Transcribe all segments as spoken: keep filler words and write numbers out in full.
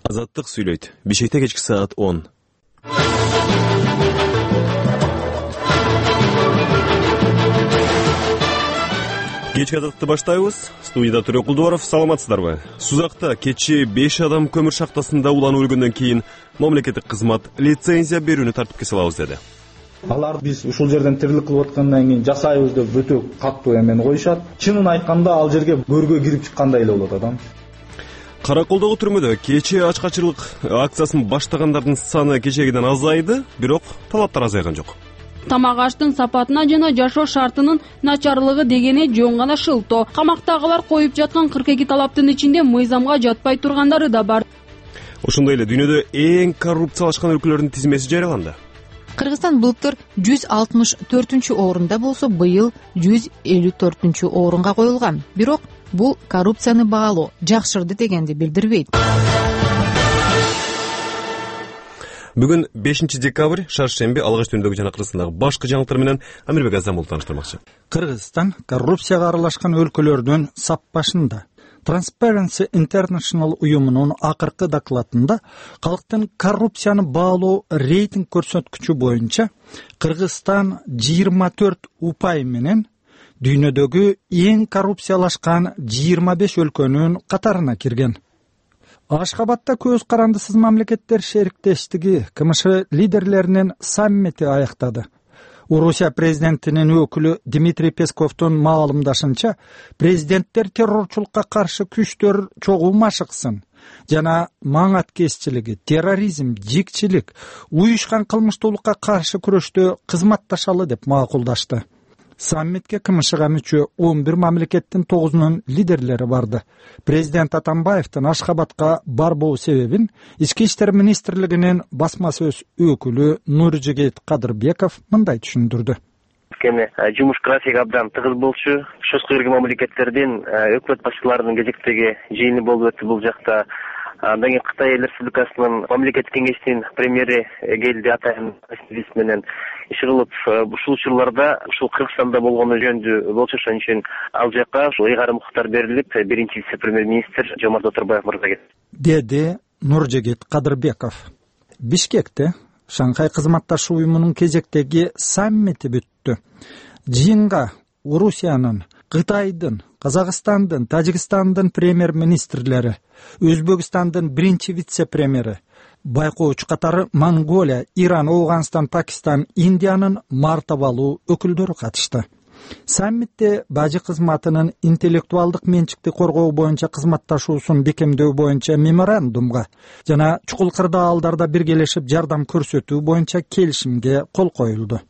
Азаттык сүйлөйт. Бишкекте кечки саат он. Кечки азаттыкты баштайбыз. Студияда Төрө Кулдубаров, саламатсыздарбы? Сузакта кечээ беш адам көмүр шахтасында уланып өлгөндөн кийин мамлекеттик кызмат лицензия берүүнү тартипке салабыз деди. Алар биз ушул жерден тирилик кылып аткандан кийин жасайбыз деп өтө катуу эмени коюшат. Чынын айтканда ал жерге көргө кирип чыккандай эле болот адам. Караколдогу түрмөдө кечээ ачкачылык акциясын баштагандардын саны кечегиден азайды, бирок талаптар азайган жок. Тамак аштын сапатына жана жашоо шартынын начарлыгы дегени жөн гана шылтоо. Камактагылар коюп жаткан кырк эки талаптын ичинде мыйзамга жатпай тургандары да бар. Ошондой эле дүйнөдө эң коррупциялашкан өлкөлөрдүн тизмеси жарыяланды. Кыргызстан былтыр жүз алтымыш төртүнчү орунда болсо, быйыл жүз элүү төртүнчү орунга коюлган. Бирок бул коррупцияны баалоо жакшырды дегенди билдирбейт. Бүгүн бешинчи декабрь, шаршемби, алгач түндөгү жана Кыргызстандагы башкы жаңылыктар менен Амирбек Азамул тааныштырмакчы. Кыргызстан коррупцияга аралашкан өлкөлөрдүн сап башында. Transparency International уюмунун акыркы докладында калктын коррупцияны баалоо рейтинг көрсөткүчү боюнча Кыргызстан жыйырма төрт упай менен дүйнөдөгү эң коррупциялашкан жыйырма беш өлкөнүн катарына кирген. Ашхабадда көз карандысыз мамлекеттер шериктештиги КМШ лидерлеринин саммити аяктады. Орусия президентинин өкүлү Дмитрий Песковдун маалымдашынча, президенттер террорчулукка каршы күчтөр чогуу машыксын жана маңаткеччилиги, терроризм, жикчилик, уюшкан кылмыштуулукка каршы күрөштө кызматташалы деп макулдашты. Саммитке КМШга мүчө он бир мамлекеттин тогузунун лидерлери барды. Президент Атамбаевдин Ашхабадка барбоо себебин Ички иштер министрлигинин басма сөз өкүлү Нуржигит Кадырбеков мындай түшүндүрдү. Кене жумуш графиги абдан тыгыз болчу. Чочко кирген мамлекеттердин өкмөт башчыларынын кезектеги жыйыны болуп өттү бул жакта. Андан кийин Кытай Эл Республикасынын мамлекеттик кеңештин премьери келди, атайын менен иш кылып, ушул учурларда ушул Кыргызстанда болгону жөнүндө болчу. Ошон үчүн ал жака ушул ыйгарым укуктар берилип, биринчи вице-премьер-министр Жомарт Оторбаев мырза кетти, деди Нуржигит Кадырбеков. Бишкекте Шанхай кызматташуу уюмунун кезектеги саммити бүттү. Жыйынга Орусиянын, Кытайдын, Казакстандын, Тажикстандын премьер-министрлери, Өзбекстандын биринчи вице-премьери, байкоочу катары Монголия, Иран, Афганистан, Пакистан, Индиянын мартабалуу өкүлдөрү катышты. Саммитте бажы кызматынын интеллектуалдык менчикти коргоо боюнча кызматташуусун бекемдөө боюнча меморандумга жана чукул кырдаалдарда биргелешип жардам көрсөтүү боюнча келишимге кол коюлду.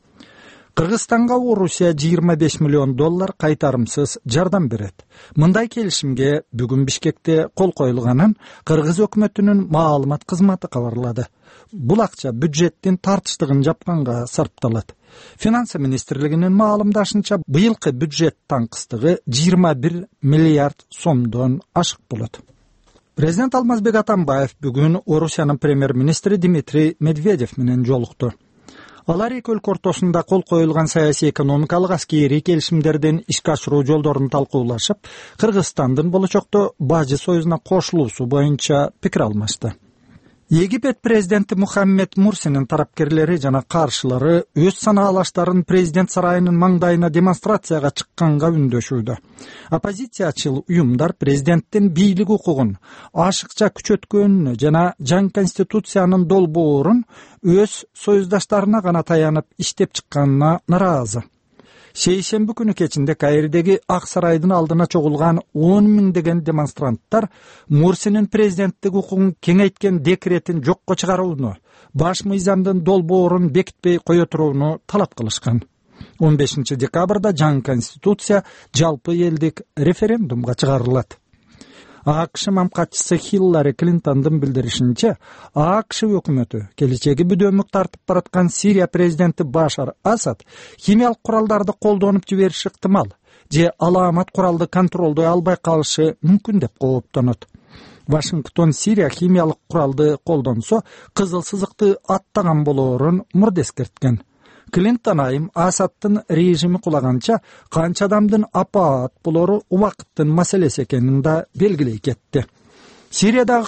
Кыргызстанга Орусия жыйырма беш миллион доллар кайтарымсыз жардам берет. Мындай келишимге бүгүн Бишкекте кол коюлганын Кыргыз өкмөтүнүн маалымат кызматы кабарлады. Бул акча бюджеттин тартыштыгын жапканга сарпталат. Финансы министрлигинин маалымдашынча, быйылкы бюджет таңкыстыгы жыйырма бир миллиард сомдон ашык болот. Президент Алмазбек Атамбаев бүгүн Орусиянын премьер-министри Дмитрий Медведев менен жолукту. Алар эки өлкө ортосунда кол коюлган саясий, экономикалык, аскерий келишимдердин ишке ашыруу жолдорун талкуулашып, Кыргызстандын болочокто бажы союзуна кошулуусу боюнча пикир алмашты. Египет президенти Мухаммед Мурсинин тарапкерлери жана каршылары өз санаалаштарын президент сарайынын маңдайына демонстрацияга чыкканга үндөшүүдө. Оппозициячыл уюмдар президенттин бийлик укугун ашыкча күчөткөнүнө жана жаңы конституциянын долбоорун өз союздаштарына гана таянып иштеп чыкканына наразы. Шейшемби күнү кечинде Каирдеги Ак сарайдын алдына чогулган он миңдеген демонстранттар Мурсинин президенттик укугун кеңейткен декретин жокко чыгарууну, баш мыйзамдын долбоорун бекитпей кое турууну талап кылышкан. он бешинчи декабрда жаңы конституция жалпы элдик референдумга чыгарылат. АКШ мамкатчысы Хиллари Клинтондун билдиришинче, АКШ өкмөтү келечеги бүдөмүк тартып бараткан Сирия президенти Башар Асад химиялык куралдарды колдонуп жибериши ыктымал, же алаамат куралды контролдой албай калышы мүмкүн деп кооптонот. Вашингтон Сирия химиялык куралды колдонсо, кызыл сызыкты аттаган болоорун мурда эскерткен. Клинтон айым Асадтын режими кулаганча канча адамдын апаат болору убакыттын маселеси экенин да белгилей кетти. Сириядагы